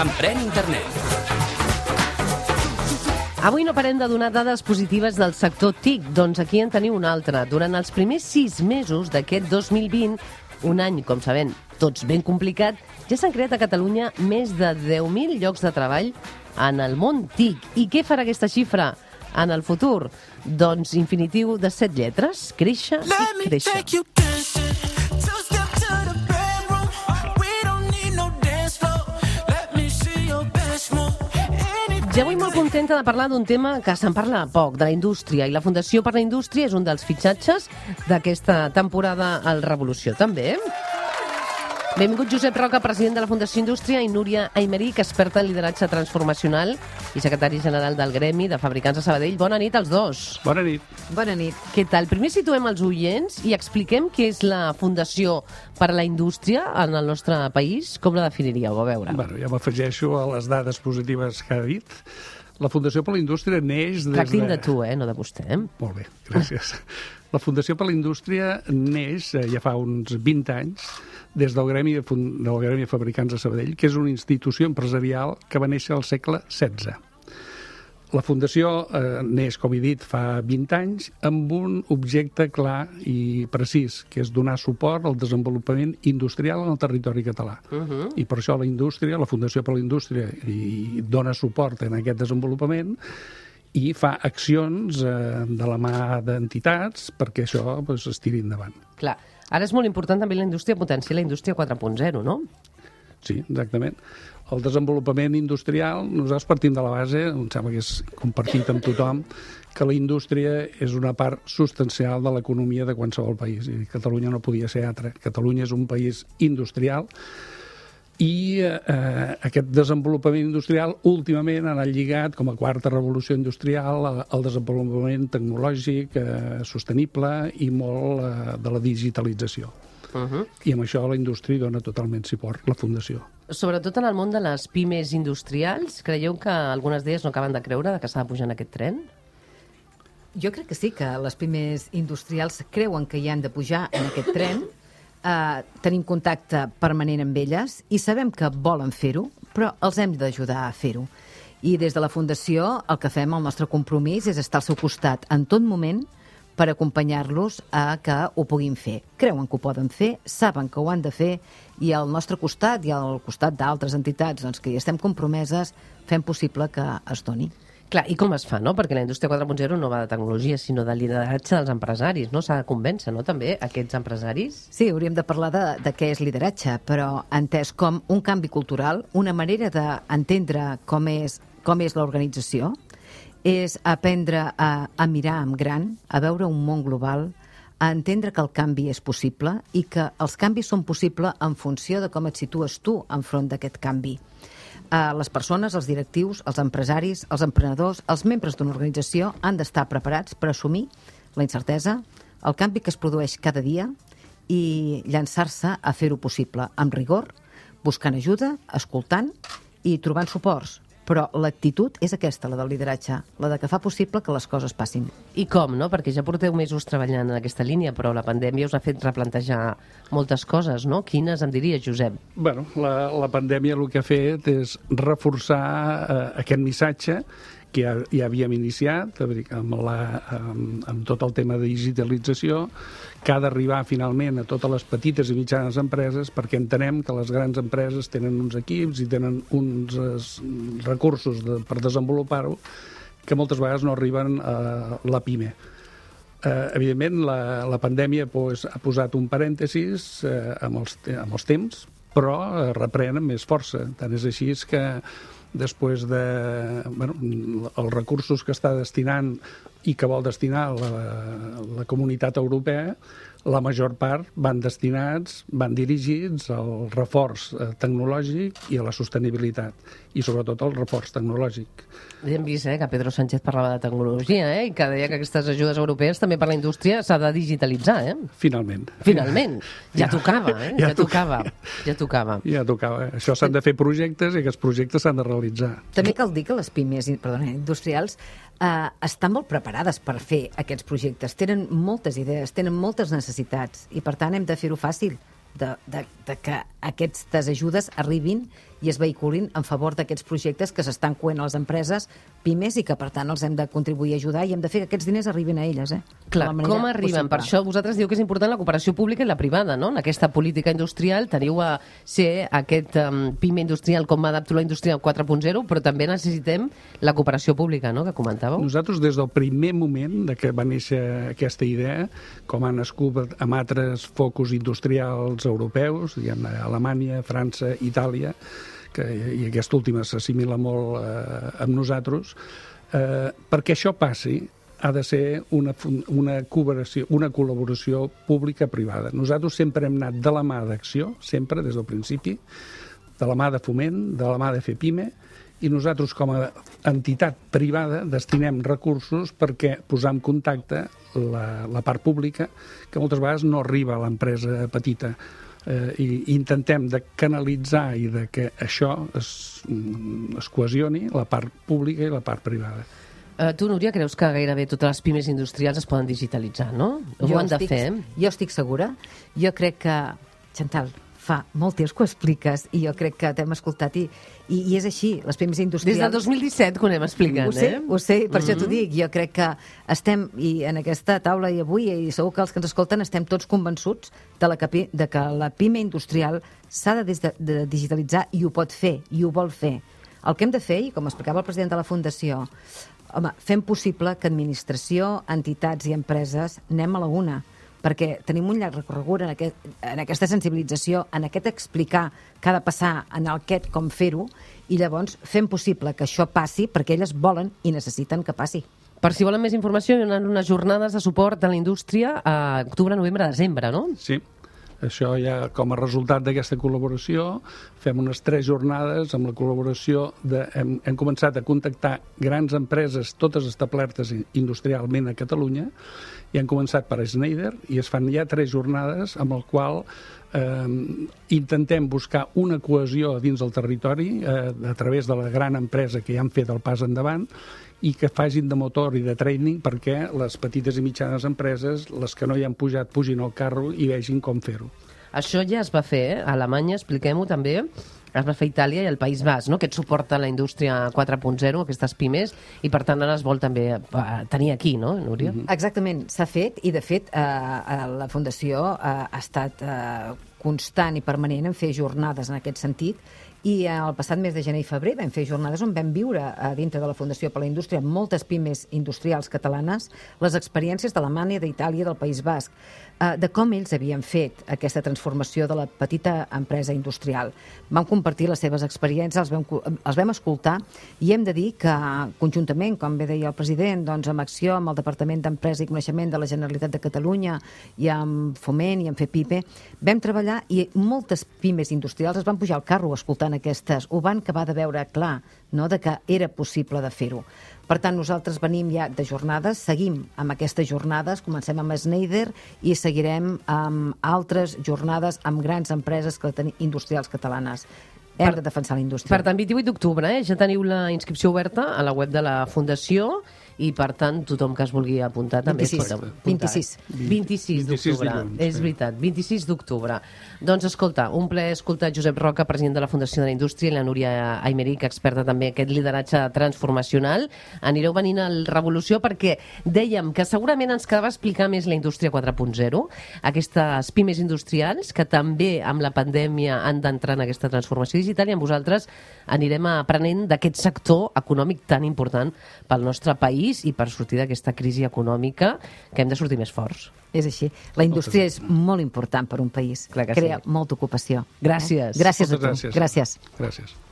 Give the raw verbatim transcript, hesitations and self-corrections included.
Emprèn Internet. Avui no parem de donar dades positives del sector T I C, doncs aquí en teniu una altra. Durant els primers sis mesos d'aquest dos mil vint, un any, com sabem, tots ben complicat, ja s'han creat a Catalunya més de deu mil llocs de treball en el món T I C. I què farà aquesta xifra en el futur? Doncs infinitiu de set lletres, créixer i créixer. Ja avui molt contenta de parlar d'un tema que se'n parla poc, de la indústria, i la Fundació per la Indústria és un dels fitxatges d'aquesta temporada al Revolució, també. Benvingut Josep Roca, president de la Fundació Indústria, i Núria Aymerich, experta en lideratge transformacional i secretari general del Gremi de Fabricants de Sabadell. Bona nit als dos. Bona nit. Bona nit. Què tal? Primer situem els oients i expliquem què és la Fundació per a la Indústria en el nostre país. Com la definiríeu? A veure. Bueno, ja m'afegeixo a les dades positives que ha dit. La Fundació per la Indústria neix des Tractin de... de tu, eh? No de vostè. Molt bé, gràcies. La Fundació per la Indústria neix ja fa uns vint anys des del Gremi, del Gremi de Fabricants de Sabadell, que és una institució empresarial que va néixer al segle setze. La Fundació eh, neix, com he dit, fa vint anys, amb un objecte clar i precís, que és donar suport al desenvolupament industrial en el territori català. Uh -huh. I per això la indústria, la Fundació per la Indústria, i dona suport en aquest desenvolupament i fa accions eh, de la mà d'entitats perquè això pues, es tiri endavant. Clar. Ara és molt important també la indústria, potenciar la indústria quatre punt zero, no? Sí, exactament. El desenvolupament industrial, nosaltres partim de la base, em sembla que és compartit amb tothom, que la indústria és una part substancial de l'economia de qualsevol país. I Catalunya no podia ser altra. Catalunya és un país industrial i eh, aquest desenvolupament industrial últimament ha anat lligat com a quarta revolució industrial al desenvolupament tecnològic eh, sostenible i molt eh, de la digitalització. Uh -huh. I amb això la indústria dona totalment suport, la Fundació. Sobretot en el món de les pimes industrials, creieu que algunes d'elles no acaben de creure que s'ha de pujar en aquest tren? Jo crec que sí, que les pimes industrials creuen que hi han de pujar en aquest tren. Uh, tenim contacte permanent amb elles i sabem que volen fer-ho, però els hem d'ajudar a fer-ho. I des de la Fundació el que fem, el nostre compromís, és estar al seu costat en tot moment per acompanyar-los a que ho puguin fer. Creuen que ho poden fer, saben que ho han de fer, i al nostre costat i al costat d'altres entitats doncs, que hi estem compromeses, fem possible que es doni. Clar, i com es fa, no? Perquè la indústria quatre punt zero no va de tecnologia, sinó de lideratge dels empresaris, no? S'ha de convèncer, no?, també, aquests empresaris? Sí, hauríem de parlar de, de què és lideratge, però entès com un canvi cultural, una manera d'entendre com és, com és l'organització, és aprendre a, a mirar en gran, a veure un món global, a entendre que el canvi és possible i que els canvis són possibles en funció de com et situes tu enfront d'aquest canvi. Uh, les persones, els directius, els empresaris, els emprenedors, els membres d'una organització han d'estar preparats per assumir la incertesa, el canvi que es produeix cada dia i llançar-se a fer-ho possible amb rigor, buscant ajuda, escoltant i trobant suports. Però l'actitud és aquesta, la del lideratge, la de que fa possible que les coses passin. I com, no? Perquè ja porteu mesos treballant en aquesta línia, però la pandèmia us ha fet replantejar moltes coses, no? Quines em diries, Josep? Bueno, la, la pandèmia el que ha fet és reforçar eh, aquest missatge que ja, ja havíem iniciat amb, la, amb, amb tot el tema de digitalització, que ha d'arribar finalment a totes les petites i mitjanes empreses, perquè entenem que les grans empreses tenen uns equips i tenen uns es, recursos de, per desenvolupar-ho que moltes vegades no arriben a la pime. Eh, evidentment, la, la pandèmia pues, ha posat un parèntesis eh, amb, els, amb els temps, però eh, reprèn amb més força. Tant és així que després de bueno, els recursos que està destinant i que vol destinar la, la comunitat europea, la major part van destinats, van dirigits al reforç tecnològic i a la sostenibilitat, i sobretot al reforç tecnològic. Ja hem vist eh, que Pedro Sánchez parlava de tecnologia eh, i que deia que aquestes ajudes europees també per la indústria s'ha de digitalitzar. Eh? Finalment. Finalment. Ja, ja tocava, eh? Ja, ja tocava. Ja tocava. Ja tocava. Això s'han de fer projectes i aquests projectes s'han de realitzar. També cal dir que les pimes perdona, industrials eh, estan molt preparades per fer aquests projectes, tenen moltes idees, tenen moltes necessitats i per tant hem de fer-ho fàcil, de, de, de que aquestes ajudes arribin i es vehiculin en favor d'aquests projectes que s'estan coent a les empreses, pimes, i que per tant els hem de contribuir a ajudar i hem de fer que aquests diners arribin a elles. Eh? Clar, com arriben? Per això vosaltres diu que és important la cooperació pública i la privada, no? En aquesta política industrial teniu a ser aquest um, PIME industrial, com adapto la indústria quatre punt zero, però també necessitem la cooperació pública, no?, que comentàveu. Nosaltres, des del primer moment de que va néixer aquesta idea, com ha nascut amb altres focus industrials europeus, diguem, Alemanya, França, Itàlia, que, i aquesta última s'assimila molt eh, amb nosaltres, eh, perquè això passi ha de ser una, una, cooperació, una col·laboració pública-privada. Nosaltres sempre hem anat de la mà d'acció, sempre, des del principi, de la mà de foment, de la mà de fer PIME, i nosaltres, com a entitat privada, destinem recursos perquè posar en contacte la, la part pública, que moltes vegades no arriba a l'empresa petita. Eh, i intentem de canalitzar i de que això es, es cohesioni, la part pública i la part privada. Uh, tu, Núria, creus que gairebé totes les pimes industrials es poden digitalitzar, no? Ho jo han de estic, fer? Jo estic segura. Jo crec que, Chantal, fa molt temps que ho expliques i jo crec que t'hem escoltat i, i, i és així, les pimes industrials... Des del dos mil disset que ho anem explicant, ho sé, eh? Ho sé, per mm-hmm. això t'ho dic. Jo crec que estem, i en aquesta taula i avui, i segur que els que ens escolten estem tots convençuts de, la que, de que la pime industrial s'ha de, de, de digitalitzar i ho pot fer, i ho vol fer. El que hem de fer, i com explicava el president de la Fundació, home, fem possible que administració, entitats i empreses anem a la una, perquè tenim un llarg recorregut en, aquest, en aquesta sensibilització, en aquest explicar què ha de passar, en aquest com fer-ho, i llavors fem possible que això passi perquè elles volen i necessiten que passi. Per si volen més informació, hi ha unes jornades de suport a la indústria a octubre, novembre, desembre, no? Sí. Això ja, com a resultat d'aquesta col·laboració, fem unes tres jornades amb la col·laboració de... Hem, hem començat a contactar grans empreses, totes establertes industrialment a Catalunya, i han començat per Schneider, i es fan ja tres jornades amb el qual eh, intentem buscar una cohesió dins del territori eh, a través de la gran empresa que ja han fet el pas endavant, i que facin de motor i de training perquè les petites i mitjanes empreses, les que no hi han pujat, pugin al carro i vegin com fer-ho. Això ja es va fer, eh? A Alemanya, expliquem-ho també, es va fer a Itàlia i al País Basc, no?, aquest suport a la indústria quatre punt zero, aquestes pimes, i per tant ara es vol també tenir aquí, no, Núria? Mm-hmm. Exactament, s'ha fet, i de fet eh, la Fundació eh, ha estat eh, constant i permanent en fer jornades en aquest sentit, i el passat mes de gener i febrer vam fer jornades on vam viure a dintre de la Fundació per la Indústria moltes pimes industrials catalanes, les experiències d'Alemanya, d'Itàlia, del País Basc, de com ells havien fet aquesta transformació de la petita empresa industrial. Vam compartir les seves experiències, els vam, els vam escoltar, i hem de dir que conjuntament, com bé deia el president, doncs amb Acció, amb el Departament d'Empresa i Coneixement de la Generalitat de Catalunya i amb Foment i amb FEPIME, vam treballar i moltes pimes industrials es van pujar al carro escoltant aquestes, ho van acabar de veure clar, no?, de que era possible de fer-ho. Per tant, nosaltres venim ja de jornades, seguim amb aquestes jornades, comencem amb Schneider i seguirem amb altres jornades amb grans empreses industrials catalanes. Hem per, de defensar la indústria. Per tant, vint-i-vuit d'octubre, eh? Ja teniu la inscripció oberta a la web de la Fundació i, per tant, tothom que es vulgui apuntar també es pot apuntar. vint-i-sis. vint-i-sis d'octubre, és veritat, vint-i-sis d'octubre. Doncs, escolta, un plaer escoltar Josep Roca, president de la Fundació de la Indústria, i la Núria Aymerich, experta també en aquest lideratge transformacional. Anireu venint al Revolució perquè dèiem que segurament ens quedava explicar més la indústria quatre punt zero, aquestes pimes industrials que també amb la pandèmia han d'entrar en aquesta transformació digital, i amb vosaltres anirem aprenent d'aquest sector econòmic tan important pel nostre país i per sortir d'aquesta crisi econòmica que hem de sortir més forts. És així. La indústria és molt important per un país. Clar que Crea sí. molta ocupació. Gràcies. Eh? Gràcies Moltes a tu. Gràcies. Gràcies. Gràcies.